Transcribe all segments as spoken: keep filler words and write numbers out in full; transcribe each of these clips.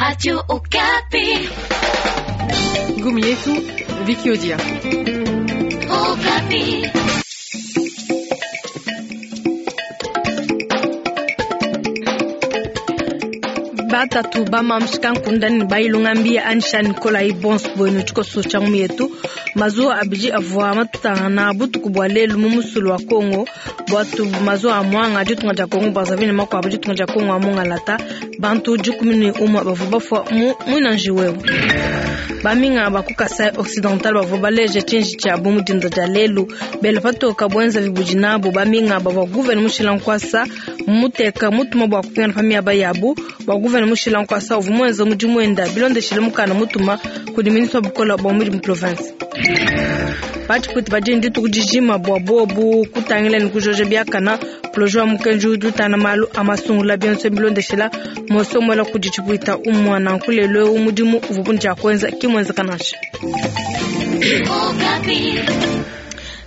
Radio Okapi. Gumi yetu Viki Odia. Okapi. Batatu bamamshikankundani bailungambia anisha Nikolai Bons bwenu tshikoso tsha ngumi yetu mazuwa abidi avua matutangana butuku bua lelu mu musulu wa Kongo bwatu mazuwa a mwanga ditunga dia Kongo Brazzaville ne makuabu ditunga dia Kongo a mungalata bantu dikumi ne umue bavua bafua mu mwinanji wewu baminga ba ku Kasai Occidental bavua baleja tshinji tshiabu mu dinda dia lelu bela patoka buenza bibudi nabo baminga bavua guvene mushila nkuasa muteka mutuma bua kupingana pa miaba yabu bua guvene mushila nkuasa uvua muenza mudimu wenda bilondeshile mukanda mutuma kudi ministre wa bukola bua mudimu province batshipwita badi dituku dijima bua bobu kutangila ne kujoja biakana projet wa mukenji udi utana malu a masungula bionso bilondeshela mosomola kudi tshipwita umwana nkulelo eu mudimu uvua bundia kuenza kimwenzeka nansha Okapi.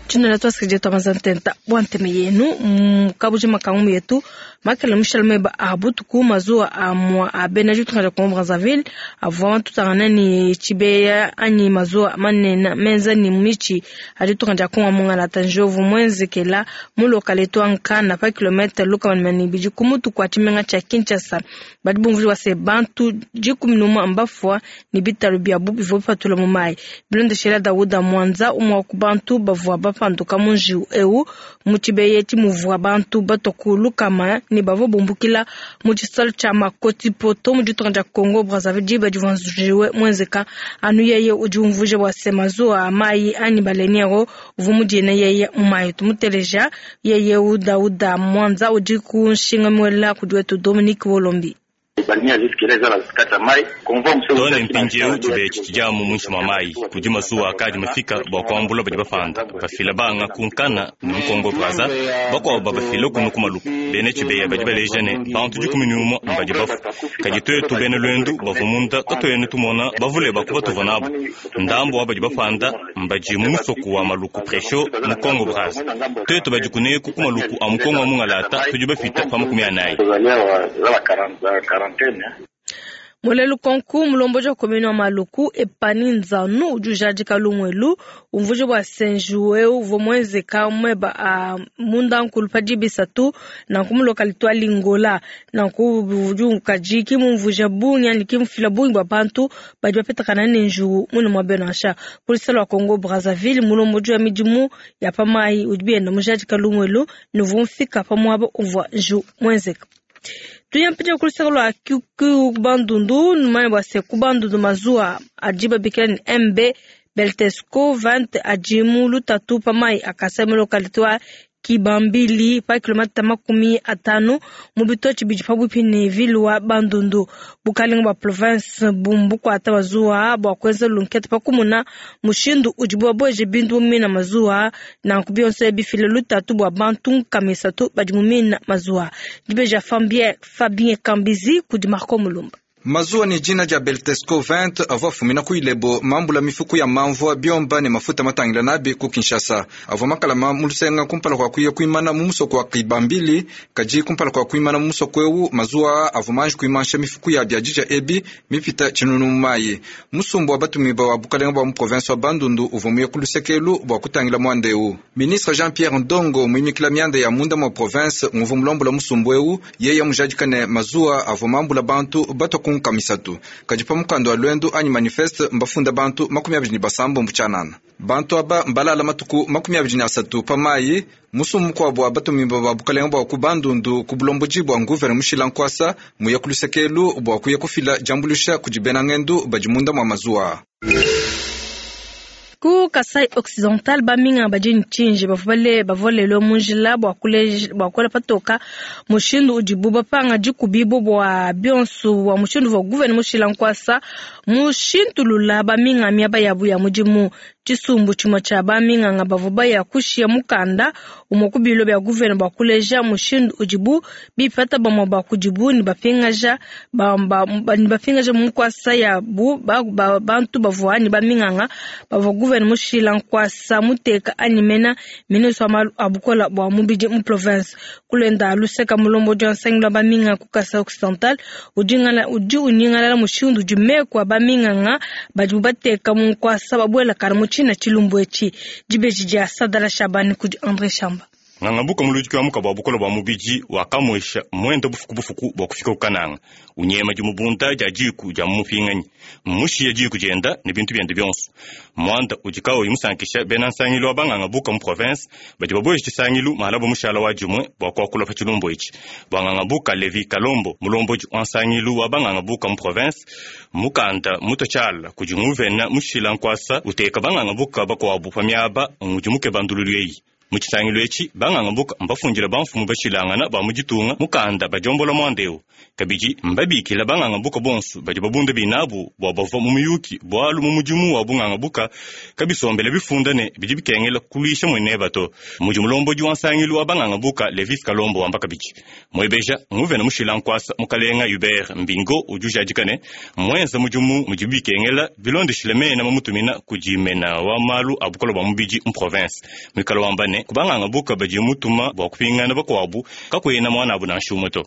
Tshinola twasikidia twamazantenta bua nteme yenu kabuji makangu yetu makele mushale meba a butuku mazuwa a mwa a bena ditunga dia Congo Brazzaville avua matutangana ne tshibeya anyi mazuwa manene menza ni michi a ditunga dia Congo mungalata njovu mwenzekela mu lokaletu wa Nkana pa kilomètre lukama ne ibidi ku mutu kua tshimenga tshia Kinshasa badi bumvuija se bantu dikumi ne umue mbafua ne bitalu biabu bivua bipatula mu mayi bilondeshela Dawuda Mwanza umue wa ku bantu bavua bapanduka mu njiwu eu mu tshibeya tshimuvua bantu batua ku lukama ne bavua bumbukila mu tshisalo tshia Makoti Poto mu ditunga dia Congo Brazzaville diba divua njiwe mwenzeka anu yeye udi umvuija bua se mazuwa a mayi anyi baleniero uvua mudiene yeye mu mayi tumuteleja yeye Dawuda Mwanza udi ku nshinga muela kudi wetu Dominique Wolombi. Tone mpindieu tshibeya tshidiamu muinshi mua mayi kudi masuwa akadi mafika bua kuambula badi bapanda bafila banga ku Nkana ne mu Kongo Brazza bakuabu babafila kunu ku Maluku bena tshibeya badi baleja ne bantu dikumi ne umue mbadi bafua kadi tuetu bena lwendu bavua munda katuena tumona bavule bakuba tuvua nabo ndambu wa badi bapanda mbadi mu musoko wa Maluku Presho mu Kongo Brazza tuetu badi kuneku ku Maluku a mu Kongo wa mungalata tudi bafita pa makumi anayi. Mulelu konku mulomboji wa komini wa Maluku epani nzanu udi ujadika lumuelu umvuija bua se njiwu eu uvua muenzeka mueba a munda nkulu pa dibisatu nanku mu localité wa Lingola nanku udi kadi kimumvuija bungi anyi kimufila bungi bua bantu badi bapetakana ne njiwu mune mua beno nansha polisi wa Congo Brazzaville mulomboji wa midimu ya pa mayi udi bienda mujadika lumuelu ne uvua mufika pa muaba uvua njiwu muenzeka. Tuyampija kulusaka lua ku Bandundu numanya bua se ku Bandundu mazuwa adi babikila ne M B Beltesco vingt adi mu lutatu pa mayi akasa mu localité wa Kibambili pa kilomita makumi atanu mu bitochi bidi pabuipi ne ville wa Bandundu bukalenga bua province bumbukuata mazuwa bua kuenza lunkete pa kumuna mushindu udi babueje bintu mu mina mazuwa nanku bionso bifile lutatu bua bantu nkama isatu badi mu mina mazuwa dibeja Fabien Fabien Kambizi kudi Marco Mulumba. Mazuwa ni jina dia Beltesco vingt avua afumina ku Ilebo mambula mifuku ya mamvua biomba ne mafuta matangila nabi ku Kinshasa avua makalama mu lusenga kumpala kua kuya kuimana mu musoko wa Kibambili kadi kumpala kua kuimana mu musoko eu mazuwa avua manji kuimansha mifuku ya biadija ebi mipita tshinunu mu mayi musumbu wa batumiba wa bukalenga bua mu province wa Bandundu uvua muye ku lusekelu bua kutangila muanda eu ministre Jean-Pierre Ndongo muimikila mianda ya munda mua province nguvua mulombola musumbu eu yeye mujadika ne mazuwa avua mambula bantu batua ku nkamisatu kadi pa mukanda wa lwendu anyi manifeste mbafunda bantu makumi abidi ne basambo mbutshianana bantu aba mbalala matuku makumi abidi ne asatu pa mayi musumbu mukuabu wa batumimba ba bukalenga bua ku Bandundu ku bulomboji bua nguvene mushila nkuasa muye ku lusekelu bua kuya kufila diambulusha kudi bena ngendu badi munda mua mazuwa. Ku Kasai Occidental baminga badi ntsinji bavua bavua lelo mu njila bua kuleja bua kuela patoka mushindu udibu bapanga dikubibu bua bionso bua mushindu uvua guvene mushila nkuasa mushintulula baminga miaba yabu ya mudimu. Tshisumbu tshimue tshia baminganga bavua baya kushiya mukanda umue ku bilo bia guvena bua kuleja mushindu udibu bipata bamue ba kudibu ne bapingaja ba, ba, ba, ne bapingaja mu nkuasa yabu ba, ba, bantu bavua ne baminganga bavua guvena mushila nkuasa muteka anyi mena ministre wa malu a bukola bua mubidi mu province. Kulenda luseka mulombodi wa nsangilu wa baminganga ku Kasai Occidental udi unyingalala mushindu udi meku a baminganga badibu bateka mu nkuasa babuelakana mu tshina tshilumbu etshi. Dibeji dia Sadala Shabani kudi André Shamba. Ngangabuka muludiki wa muka bua bukola bua mubidi wakamwesha mwenda bufuku bufuku bua kufika kukananga unyema dimubunda dia diku dia mumupinganyi mmushiya diku dienda ne bintu biende bionso. Mwanda udi kaoyi musankisha bena nsangilu wa bangangabuka mu province badi babueja tshisangilu mahala bua mushala wa dimue bua kuakula pa tshilumbu etshi. Bua ngangabuka Levi Kalombo mulombodi wa nsangilu wa bangangabuka mu province mukanda mutotshala kudi nguvena mushila nkuasa uteka bangangabuka bakuabu pa miaba ngudi mukeba ndululu eyi. Mu tshisangilu etshi bangangabuka mbafundile bamfumu bashilangana ba mu ditunga mukanda badiombola mwanda eu. Kabidi mbabikila bangangabuka bonso badi babunda binabu bua bavua mu muyuki bualu mu mudimu wa bungangabuka kabisombela bifunda ne bidi bikengela kuluisha mueneba to. Mudi mulombodi wa nsangilu wa bangangabuka Levis Kalombo wamba kabidi mwebeja nguvena mushila nkuasa mukalenga Hubert Mbingo udi ujadika ne mwenza mudimu mudi bikengela bilondeshile mena mamutumina kudi mena wa malu a bukola bua mubidi mu province. Mwikala wamba ne kubangangabuka badi mutuma bua kupingana bakuabu kakuena mwana abu nansha umue to.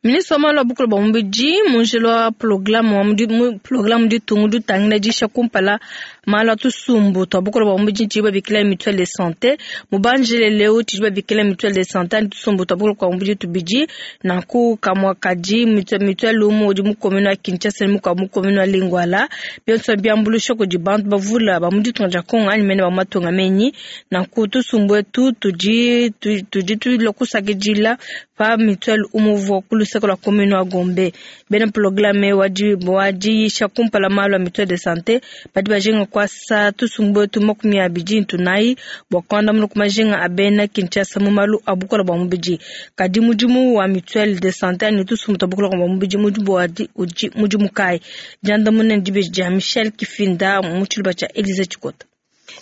Ministre wa malu a bukola bua mubidi munjelo wa programme wa programme ditungu ditangila disha kumpala malu a tusumbu twa bukola bua mubidi tshidi babikila mutuelle de santé mubanjile leo tshidi babikila mutuelle de santé ani tusumbu twa bukola bua mubidi tubidi nanku kamwa kadi mutuelle umue udi mu commune wa Kinshasa ne mukuabu mu commune wa Lingwala bionso biambulusha kudi bantu bavula ba mu ditunga dia Kongo anyi mene ba matunga menyi. Nanku tusumbu etu tudi tudi tulua kusakidila pa mutuelle umue uvua ku luseke lua commune wa Gombe. Bena programme wa diyisha kumpala malu a mutuelle de santé badi bajinga kuasa tusumbu etu makumi abidi ntunayi bua kuandamuna ku majinga a bena Kinshasa mu malu a bukola bua mubidi. Kadi mudimu wa mutuelle de santé ani tusumbu twa bukola bua mubidi mudimu udi mudimu kayi? Diandamuna dibeji dia Michel Kifinda mu tshiluba tshia Elise Tshikota.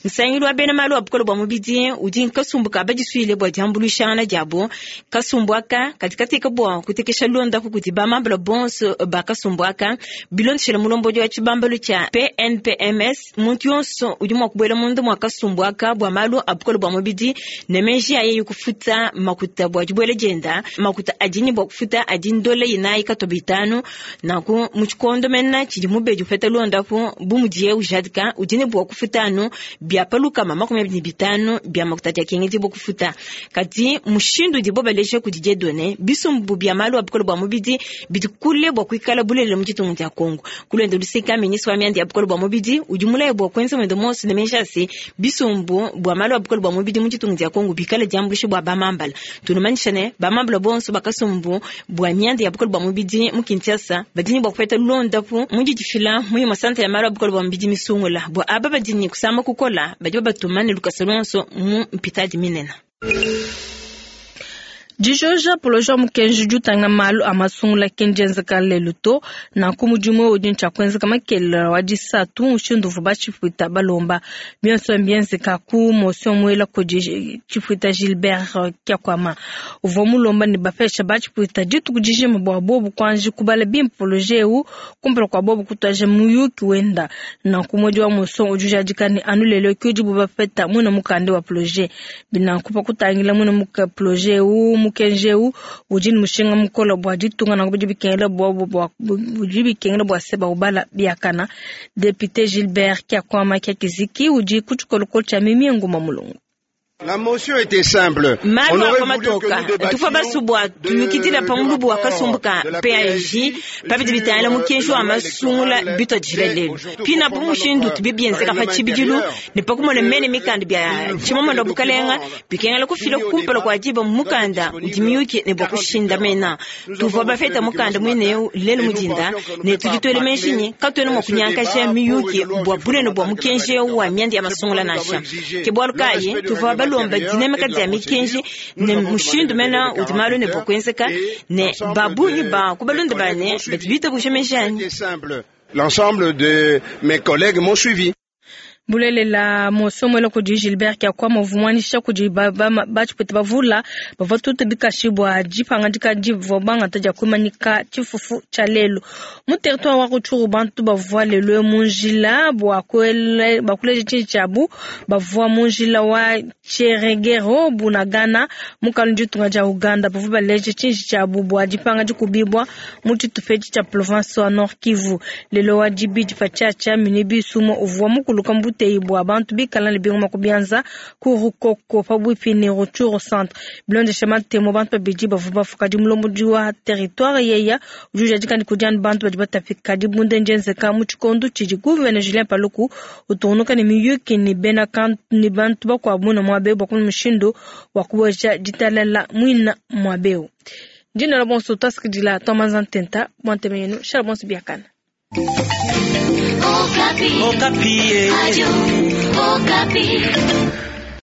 Nsangilu wa bena malu a bukola bua mubidi udi nkasumbu ka badisuile bua diambuluishangana diabo. Kasumbu aka kadi kateka bua kutekesha londapu kudi bamambala bonso ba kasumbu aka bilondeshela mulombodi wa tshibambalu tshia P N P M S. Muntu yonso udi mua kubuela munda mua kasumbu aka bua malu a bukola bua mubidi ne meji aye kufuta makuta bua dibuela dienda makuta adini bua kufuta adi ndola inayi katoba itanu. Nanku mu tshikondo mena tshidi mubedi upeta londapu bu mudiye ujadika udi ne bua kufuta anu bia paluka makumi abidi ne bitanu bia makuta dia kengedi bua kufuta. Kadi mushindu udibo baleja kudi Dieudonné bisumbu bia malu a bukola bua mubidi bidi kule bua kuikala bulelela mu ditunga dia Kongo. Kulenda luseka ministre wa mianda ya bukola bua mubidi udi mulaye bua kuenza mwendo monso ne meji ase bisumbu bua malu a bukola bua mubidi mu ditunga dia Kongo bikale diambuluisha bua bamambala. Tunumanyisha ne bamambala bonso bakasumbu bua mianda ya bukola bua mubidi mu Kinshasa badi ne bua kupeta londapu mu didifila mu masanta ya malu a bukola bua mubidi misungula bua aba badi ne kusama kukola badi babatumane lukasa lonso mu mpitadi minene. Dijoja poloja mukenji jutanga malu a masungula kenjenzeka lelu to nanku mudimu udi ntshia kuenzeka makelela wa disatu mushindu uvua batshipwita balomba bionso mbienzeka ku motion muela kudi tshipwita Gilbert Kyakwama uvua mulomba ne bapesha batshipwita dituku dijima bua bobu kuanji kubala bimpe poloje eu kumpala kua bobu kutuaja muyuki wenda. Nanku mwedi wa motion udi ujadika ne anu lelo ki udibu bapeta muina mukanda wa poloje binanku pa kutangila muina muka poloje eu mukenji eu udi ne mushinga mukola bua ditunga nanku bidi bikengela bua bua bidi bikengela bua se baubala biakana. Député Gilbert Kyakwama Kyakiziki udi ku tshikolokolo tshia Mimi Nguma Mulungu. La motion était simple. Malu a matoka tufa basubwa tuyukidila pamulubu wa kasumbuka P A J pabidi bitangila mukenji wa masungula bitwa dishila lelu pina po mushindu tubibienzeka pa tshibidilu ne pakumona mene mikanda bia tshimamanda bukalenga bikengela kufila kumpala kua diba mukanda udi miyuki ne bua kushinda mena tuvua bafeta mukanda muineu lelu mudinda ne tudi tuele menjinyi katuena mua kunyankasha miyuki bua bunene bua mukenji wa mianda ya masungula nansha ke bualu kayi tuvua balomba dinamika dia mikenji ne mushindu mena udi malu ne bua kuenzeka ne babungi ba kubalonda bane badi bitabusha menjani. L'ensemble de mes collègues m'ont suivi. Bulelela mosomo kudi Gilbert Kyakwama uvumwanisha kudi batshipwita bavula bavua tutu bikashi bua dipangadika divua bangata dia kuimanyika tshifufu tshia lelu mu territoire wa Rutshuru. Bantu bavua lelu mu njila bua kuleja tshinyi tshiabu, bavua mu njila wa Tcheregero Bunagana mu kalu ditunga dia Uganda, bavua baleje tshinyi tshiabu bua dipanga dikubibwa mu tshitupa tshia province wa Nord Kivu. Lelo wa dibidi patshiatshia minibus umue uvua mukuluka mbuteyi bua bantu bikala ne bingoma ku bianza ku Rukoko pabuipi ne Rutshuru centre. Bilondeshe matemo, bantu babidi bavua bafuka di mulombodi wa territoire yeya udi ujadika ne kudi anu bantu badi batapika. Dibunda ndienzeka mu tshikondo tshidi gouverneur Julien Paluku utungunuka ne miyuki ne bena ne bantu bakuabu na muaba bua kumona mushindu wa kubueja ditalala muina muaba eu. Dina la bonso tasikidila tomanza ntenta bwanteme yenu shala bonso biakana. Okapi. Okapi. Radio Okapi.